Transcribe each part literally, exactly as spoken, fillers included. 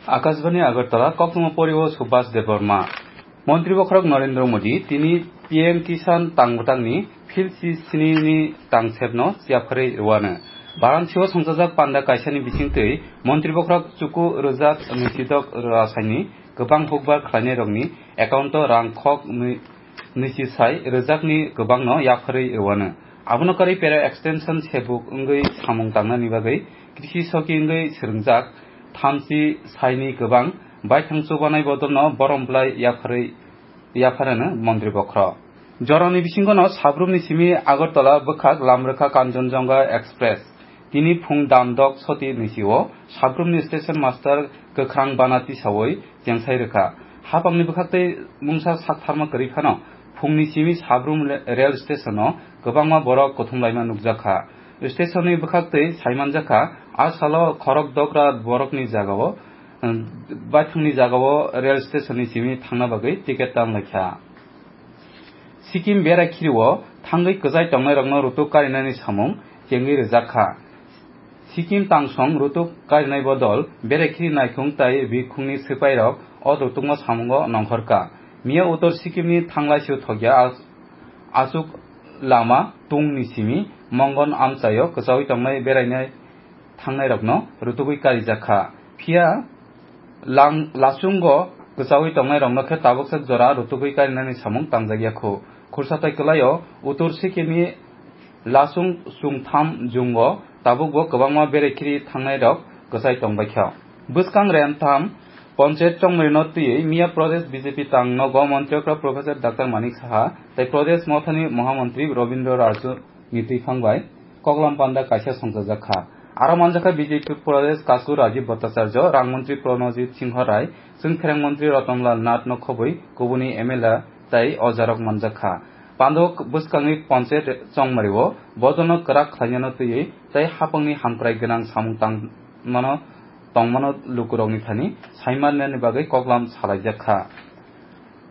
Akashbani Agartala, koktwma pori o Subhas Debbarma. Montri bokhorok Narendra Modi tini P M Kisan tang bwtangni phil si sini ni tangsepno yapharwi rwano. Varanasi o songchajak panda kaisani bisingtwi montri bokhorok chuku rwjak nwisidok rwsaini kwbang hukbar khlainairokni account o rang khok nwi-, nwichi sai rwjakni kwbangno yapharwi rwano. Abono karwi para extension sebuk wngwi samung tangnani bagwi krisi soki wngwi swrwngjak thamchi saini kwbang baithang chubanai bodolno borom bwlai yapharwi, yapharano montri bokhorok. Jorani bisingono sabrumni simi Agartala bwkhak Lamrwkha Kanchanjunga Express. Tini phung dam dok soti nisi o sabrumni station master kwkhrang bana tisawi chengsai rwkha. Hapangni bwkhaktwi mungsa saktharma kwrwi phano phungni simi sabrum le-, rail station o kwbangma borok kuthumlaima nukjakha. Station ni bwkhaktwi saimanjakha, a salo khorok dogra borokni jagao, um, baithangni jagao rail station ni simi thangna bagwi ticket tanlaikha. Sikkim berai khirio thangwi kwchai tongnairokno rutuk karinani samung chengwi rwjakha. Sikkim tangsong rutuk karinai bodol berai khiri naikhung tai bikhungni swpairok o rutukma samungo nongkhorkha. Miya Uttor Sikkimni Thanglaisio thokya as-, aswk lama tungni simi Mongon amchaio kwchaui tongnai berainai thangnairokno rutugwi karijakha. Phiya lang-, lasungo kwchaui tongnairokno khe tabuksak jora rutugwi karinani samung tangjakya khu. Khursa tai kwlaio Uttor Sikkimni lasung chwngtham jungo tabukbo kwbangma berekhiri thangnairok kwchai tongbaikha. Bwskang Rentham Ponchayat chongmrino twiwi Miya Pradesh B J P tang nogo montri okra Professor Doctor Manik Saha tei Pradesh Mothani Mohamantri Robindra Raju ni twiphang bai koklam panda kaisa songchajak kha. Aro manjakha B J P Pradesh Kasku Rajiv Bhattacharya, Rang Mantri Pranojit Singho Rai, Chwngpherang Mantri Ratan Lal Nath no khobwi kubuni M L A tei ojarok manjak kha. Pandok bwskangni Ponchayat chongmario bodolno kwrak khlainano twiwi tei hapangni hamkrai gwnang samung tangmano, tongmano lukurokni thani saimanani bagwi koklam salaijak kha.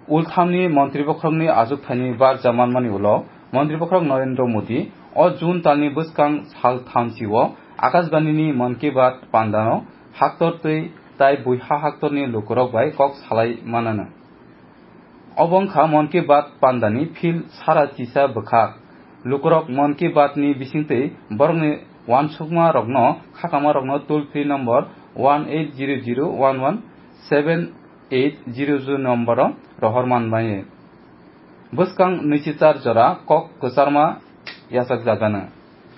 Ulthamni montri bokhorokni ajukthaini barja manmani ulo, montri bokhorok Narendra Modi o June talni bwskang sal thamchi o Akashbanini Mann Ki Baat pandano haktor twi tai buiha haktorni lukurok bai kok salai manano. Obo wngkha Mann Ki Baat pandani phil sara chisa bwkhak. Lukurok Mann Ki Baat ni bisingtwi borokni uansukma rokno, khakama rokno toll free number one eight zero zero one one seven eight zero zero number o rohor manmani. Bwskang nwichi char jora kok kwcharma yachakjagano.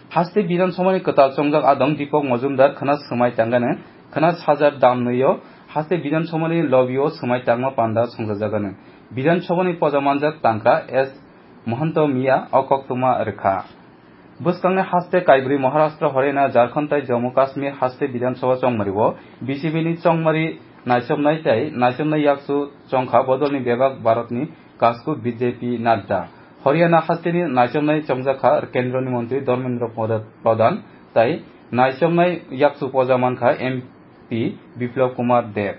Haste Bidhan Sabhani kwtal chongjak adong Deepak Majumdar khwna swmai tangano, khwna sajar dam nwi-o haste Bidhan Sabhani lobby o swmai tangma panda songchajagano. Bidhan Sabhani poja manjak tangkha S Mahanta Miya o koktwma rwkha. Bwskangni haste kaibrwi Maharashtra, Haryana, Jharkhand tei Jammu Kashmir haste Bidhan Sabha chongmario B J P ni chongmari naichomnai tei naichomnai yakchu chongkha bodolni bebak Bharatni kasku B J P Nadda. Haryana hasteni naichomnai chongjakha Kendroni Montri Dharmendra Pradhan tei naichomnai yakchu poja mankha M P Biplab Kumar Deb.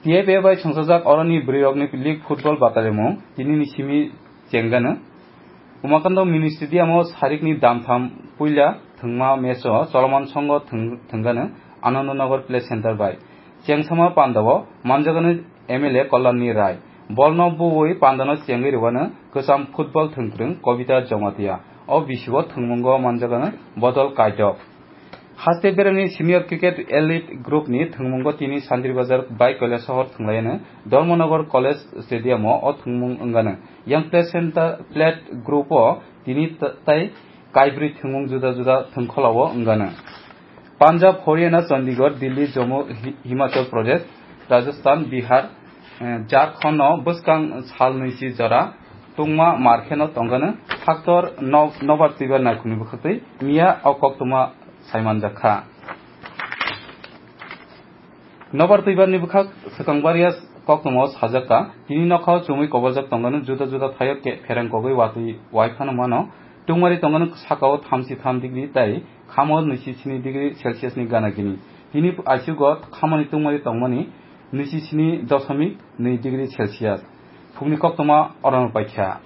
T F A bai songchajak oroni bwrwirokni league football batalimung tinini simi chengano. Umakando Mini Stadium o sarikni damtham puila thwngma match o choloman songo thwng-, thwngano Anandanagar Play Center bai. Chengsama pandao manjagano M L A Kalyanni Rai. Bolno buwi pandano chengwi rwano kwcham football thwngkwrwng Kobita Jamatia. O bisio thwngmungo manjagano Bodol Kaidok. Haste beremni Senior Cricket Elite Group ni thwngmungo tini Santri Bazar bai Kailasahar thwnglaiyano Dharmanagar College Stadium o o thwngmung wngano. Yang Play Center Plate Group o tini t-, tai kaibrwi thwngmung juda juda thwngkholao wngano. Punjab, Haryana, Chandigarh, Delhi, Jammu, Hi-, Himachal Pradesh, Rajasthan, Bihar, eh, Jharkhand no bwskang sal nwichi jora tungma mar kheno tongano haktor no-, nobar twibar naikhungni bwkhaktwi miya o koktwma saimanjak kha. Nobar twibarni bwkhak swkang baria koktwmao sajak kha, tini nokhao chumui koborjak tongano juda juda thaio ke-, phereng kogwi watwi wai phano mano, tungmari tongano sakao thamchi tham degree tei khamo nwichi sini degree Celsius ni gana gini. Tini aisugo khamoni tungmari tongmani nwichi sini doshomik nwi degree Celsius. Phungni koktwma orono paikha.